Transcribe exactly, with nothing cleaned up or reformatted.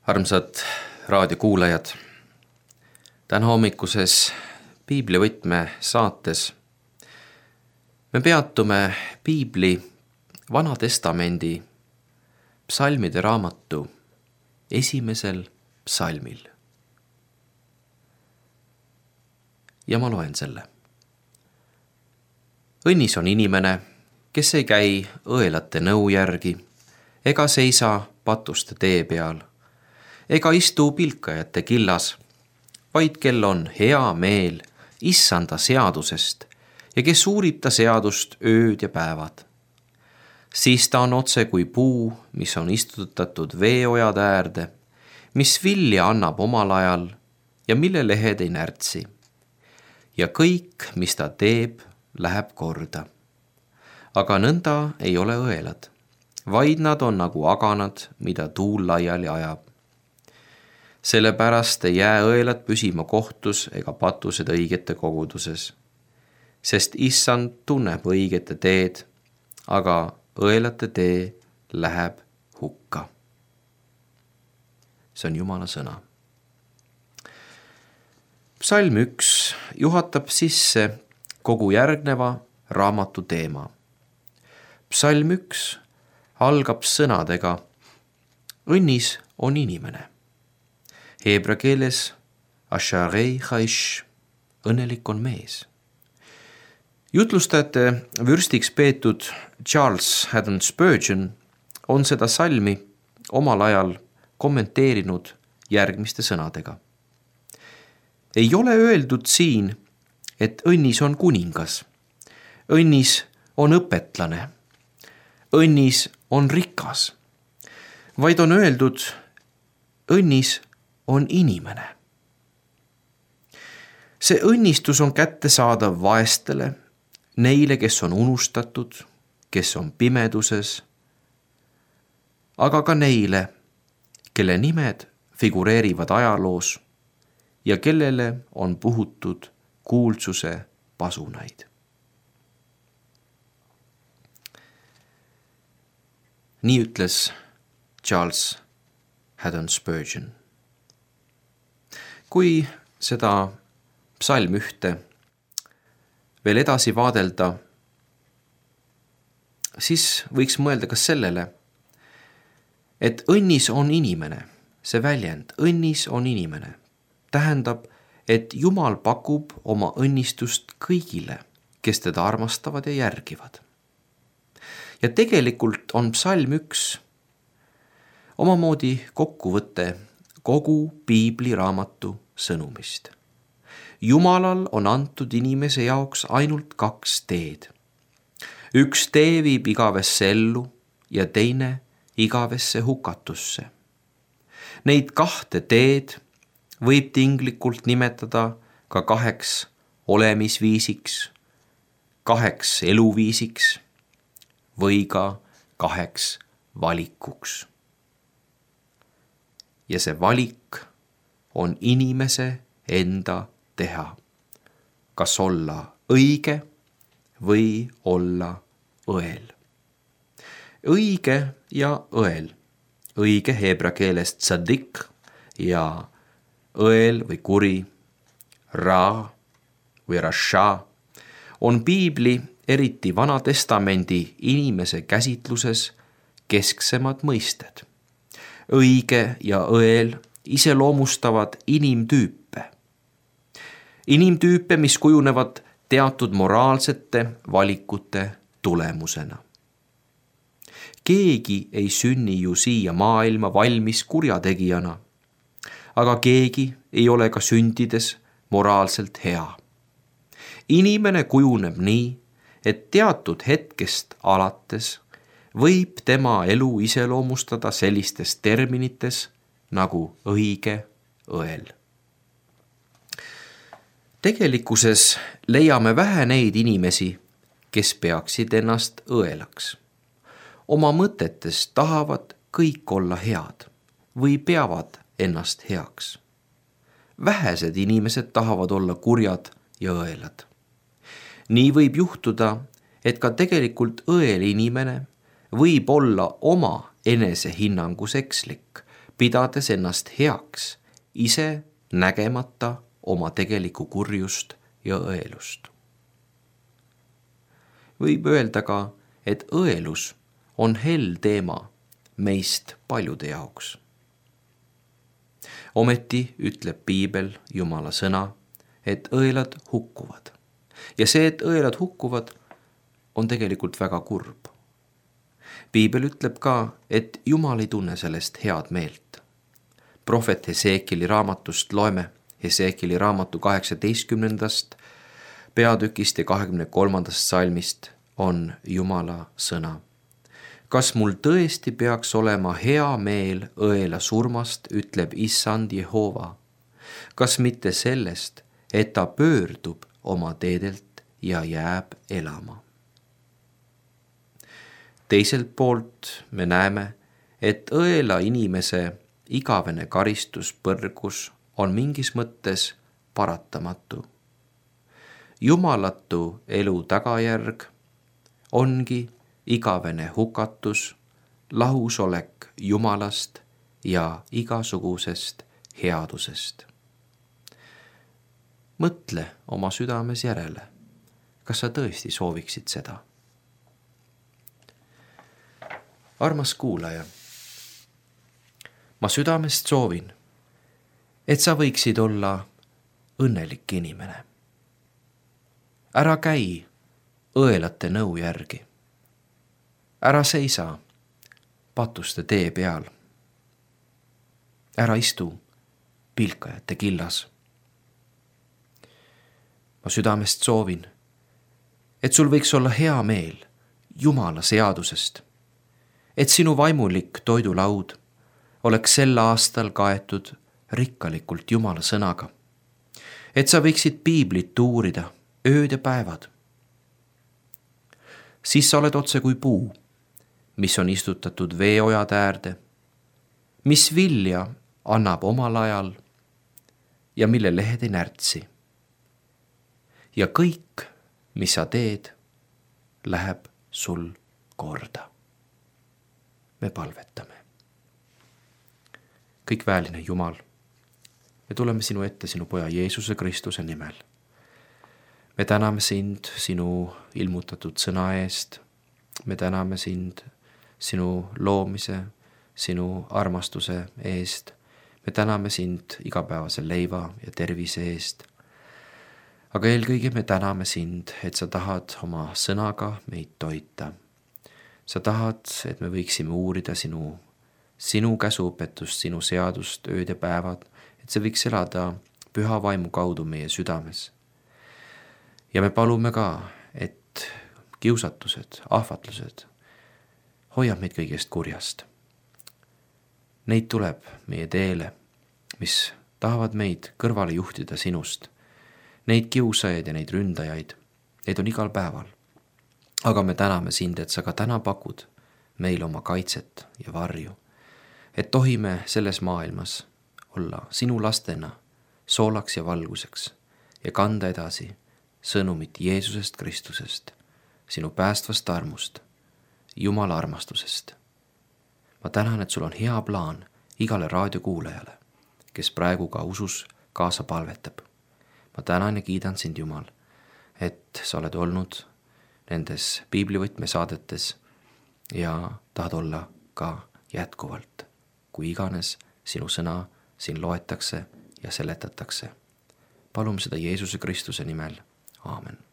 Armsad raadiokuulajad, täna hommikuses piiblivõtme saates me peatume piibli Vana Testamendi psalmide raamatu esimesel psalmil. Ja ma loen selle. Õnnis on inimene, kes ei käi õelate nõu järgi, ega seisa patuste tee peal, ega istu pilkajate killas, vaid kel on hea meel issanda seadusest ja kes uurib ta seadust ööd ja päevad. Siis ta on otse kui puu, mis on istutatud veeojade äärde, mis vilja annab omal ajal ja mille lehed ei närtsi. Ja kõik, mis ta teeb, läheb korda. Aga nõnda ei ole õelad, vaid nad on nagu aganad, mida tuul laiali ajab. Sellepärast ei jää õelad püsima kohtus ega patused õigete koguduses, sest issand tunneb õigete teed, aga õelate tee läheb hukka. See on Jumala sõna. Psalm üks juhatab sisse kogu järgneva raamatu teema. Psalm üks algab sõnadega: õnnis on inimene. Heebra keeles asharei chaish, õnnelik on mees. Jutlustajate vürstiks peetud Charles Haddon Spurgeon on seda salmi omal ajal kommenteerinud järgmiste sõnadega. Ei ole öeldud siin, et õnnis on kuningas, õnnis on õpetlane, õnnis on rikas, vaid on öeldud, õnnis on inimene. See õnnistus on kättesaadav vaestele, neile, kes on unustatud, kes on pimeduses, aga ka neile, kelle nimed figureerivad ajaloos ja kellele on puhutud kuulsuse pasunaid. Nii ütles Charles Haddon Spurgeon. Kui seda psalm ühte veel edasi vaadelda, siis võiks mõelda ka sellele, et õnnis on inimene, see väljend, õnnis on inimene, tähendab, et Jumal pakub oma õnnistust kõigile, kes teda armastavad ja järgivad. Ja tegelikult on psalm üks omamoodi kokkuvõte kogu piibliraamatu sõnumist. Jumalal on antud inimese jaoks ainult kaks teed. Üks tee viib igavesse ellu ja teine igavesse hukatusse. Neid kahte teed võib tinglikult nimetada ka kaheks olemisviisiks, kaheks eluviisiks või ka kaheks valikuks. Ja see valik on inimese enda teha, kas olla õige või olla õel. Õige ja õel, õige heebra keeles tsadik ja õel või kuri, ra või rasha, on piibli, eriti Vana Testamendi inimese käsitluses kesksemad mõisted. Õige ja õel iseloomustavad inimtüüpe. Inimtüüpe, mis kujunevad teatud moraalsete valikute tulemusena. Keegi ei sünni ju siia maailma valmis kurjategijana, aga keegi ei ole ka sündides moraalselt hea. Inimene kujuneb nii, et teatud hetkest alates võib tema elu iseloomustada sellistes terminites nagu õige, õel. Tegelikkuses leiame vähe neid inimesi, kes peaksid ennast õelaks. Oma mõtetes tahavad kõik olla head või peavad ennast heaks. Vähesed inimesed tahavad olla kurjad ja õelad. Nii võib juhtuda, et ka tegelikult õel inimene võib olla oma enesehinnangus ekslik, pidades ennast heaks, ise nägemata oma tegelikku kurjust ja õelust. Võib öelda ka, et õelus on hell teema meist paljude jaoks. Ometi ütleb piibel, Jumala sõna, et õelad hukkuvad. Ja see, et õelad hukkuvad, on tegelikult väga kurb. Piibel ütleb ka, et Jumal ei tunne sellest head meelt. Prohvet Heseekili raamatust loeme Heseekili raamatu kaheksateistkümnendast peatükist ja kahekümne kolmandast salmist on Jumala sõna. Kas mul tõesti peaks olema hea meel õela surmast, ütleb Issand Jehova. Kas mitte sellest, et ta pöördub oma teedelt ja jääb elama. Teiselt poolt me näeme, et õela inimese igavene karistuspõrgus on mingis mõttes paratamatu. Jumalatu elu tagajärg ongi igavene hukatus, lahusolek Jumalast ja igasugusest headusest. Mõtle oma südames järele, kas sa tõesti sooviksid seda? Armas kuulaja, ma südamest soovin, et sa võiksid olla õnnelik inimene. Ära käi õelate nõu järgi. Ära seisa patuste tee peal. Ära istu pilkajate killas. Ma südamest soovin, et sul võiks olla hea meel Jumala seadusest, et sinu vaimulik toidulaud oleks sel aastal kaetud rikkalikult Jumala sõnaga, et sa võiksid piiblit uurida ööd ja päevad. Siis sa oled otse kui puu, mis on istutatud veeojade äärde, mis vilja annab omal ajal ja mille lehed ei närtsi. Ja kõik, mis sa teed, läheb sul korda. Me palvetame. Kõik väeline Jumal, me tuleme sinu ette sinu poja Jeesuse Kristuse nimel. Me täname sind sinu ilmutatud sõna eest. Me täname sind sinu loomise, sinu armastuse eest. Me täname sind igapäevase leiva ja tervise eest. Aga eelkõige me täname sind, et sa tahad oma sõnaga meid toita. Sa tahad, et me võiksime uurida sinu, sinu käsuõpetust, sinu seadust ööd ja päevad, et see võiks elada püha vaimu kaudu meie südames. Ja me palume ka, et kiusatused, ahvatlused hoiab meid kõigest kurjast. Neid tuleb meie teele, mis tahavad meid kõrvale juhtida sinust. Neid kiusajaid ja neid ründajaid, neid on igal päeval. Aga me täname sind, et sa ka täna pakud meil oma kaitset ja varju, et tohime selles maailmas olla sinu lastena soolaks ja valguseks ja kanda edasi sõnumit Jeesusest Kristusest, sinu päästvast armust, Jumala armastusest. Ma tänan, et sul on hea plaan igale raadiokuulajale, kes praegu ka usus kaasa palvetab. Ma tänan ja kiidan sind, Jumal, et sa oled olnud nendes piiblivõtmesaadetes ja tahad olla ka jätkuvalt, kui iganes sinu sõna siin loetakse ja seletatakse. Palume seda Jeesuse Kristuse nimel. Aamen.